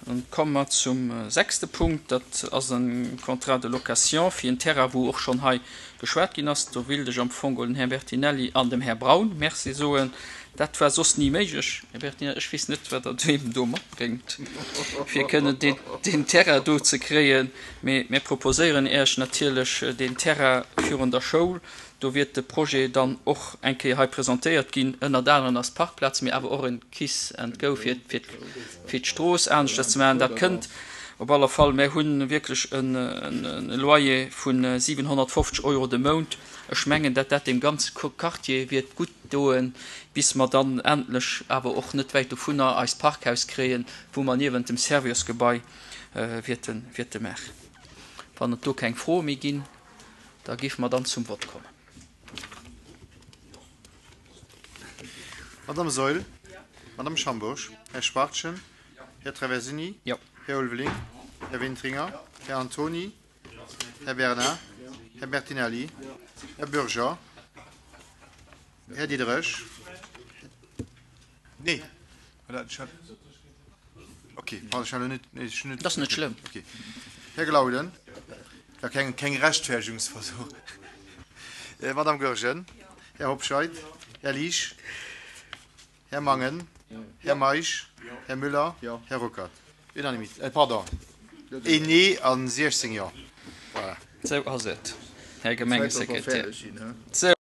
Dann komme mer zum sechste Punkt. Dat ass e Contrat de location fir en Terrain, wou och schonn hei geschwat ginn ass. Do wéilt ech am Fong dem Här Bertinelli an dem Här Braun Merci soen. Dat war soss ni méiglech. Här Bertinelli, ech weess net, wat Der deem do matbréngt, fir kënnen deen Terrain do ze kréien. Mee mir proposéieren Iech natierlech deen Terrain virun der Schoul. Do wiert de Projet dann och eng Kéier hei presentéiert ginn. Ënnert anerem ass d'Parkplaz, mee awer och en Kiss and Go fir fir d'Strooss aneschters ze maachen. Dat kënnt op alle Fall. Mär hu wierklech e Loyer vu 750 Euro de Mount. Ech mengen, dat dat deem ganze Quartier wiert gutt doen, bis mer dann endlech, awer och net wäit dovunner, eist Parkhaus kréien, wou mer niewent dem Serviosgebai wierte wierte maachen. Wann et do keng Froe méi ginn, da géife mer dann zum Vott kommen. Madame Saeul, Madame Schambourg, Här Schwachtgen, Här Traversini, Här Ulveling, Här Wintringer, Här Antony, Här Bernard, Här Bertinelli, Här Bürger, Här Diderich. Nee, okay, pardon, ech hat elo net, nee, ech hunn net. Dat ass net schlëmm. Okay. Här Glauden, war keng, keng Rechtfertigungsversuch. Madame Goergen, Här Hobscheit, Här Liesch, Här Mangen, Här Meisch, Här Müller, Här Ruckert. Unanimité, äh, pardon, een Nee a 16 Jo. Voilà. Esou ass et, Här Gemengesekretär. Esou.